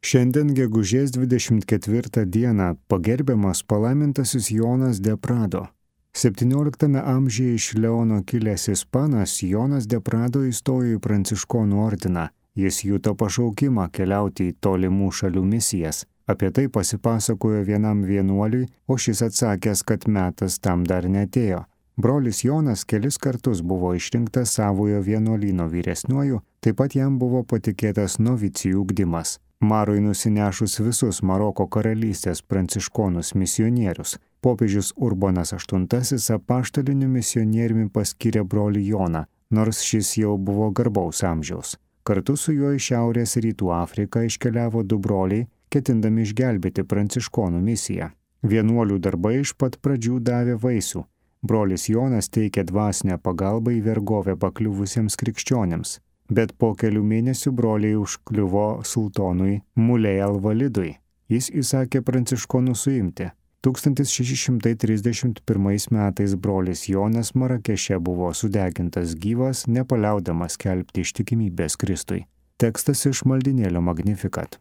Šiandien gegužės 24 dieną pagerbiamas palaimintasis Jonas de Prado. 17 amžiuje iš Leono kilęs ispanas Jonas de Prado įstojo į pranciškonų ordiną. Jis juto pašaukimą keliauti į tolimų šalių misijas. Apie tai pasipasakojo vienam vienuoliui, o šis atsakęs, kad metas tam dar neatėjo. Brolis Jonas kelis kartus buvo išrinktas savojo vienuolyno vyresniuoju, taip pat jam buvo patikėtas novicijų ugdymas. Marui nusinešus visus Maroko karalystės pranciškonus misionierius, popiežius Urbonas VIII apaštaliniu misionieriumi paskyrė brolį Joną, nors šis jau buvo garbaus amžiaus. Kartu su juo į Šiaurės rytų Afriką iškeliavo du broliai, ketindami išgelbėti pranciškonų misiją. Vienuolių darbai iš pat pradžių davė vaisių. Brolis Jonas teikė dvasinę pagalbą į vergovę pakliuvusiems krikščionėms, bet po kelių mėnesių broliai užkliuvo sultonui Mulei Alvalidui. Jis įsakė pranciškonus suimti. 1631 metais brolis Jonas Marakeše buvo sudegintas gyvas, nepaliaudamas skelbti ištikimybės Kristui. Tekstas iš maldynėlio Magnificat.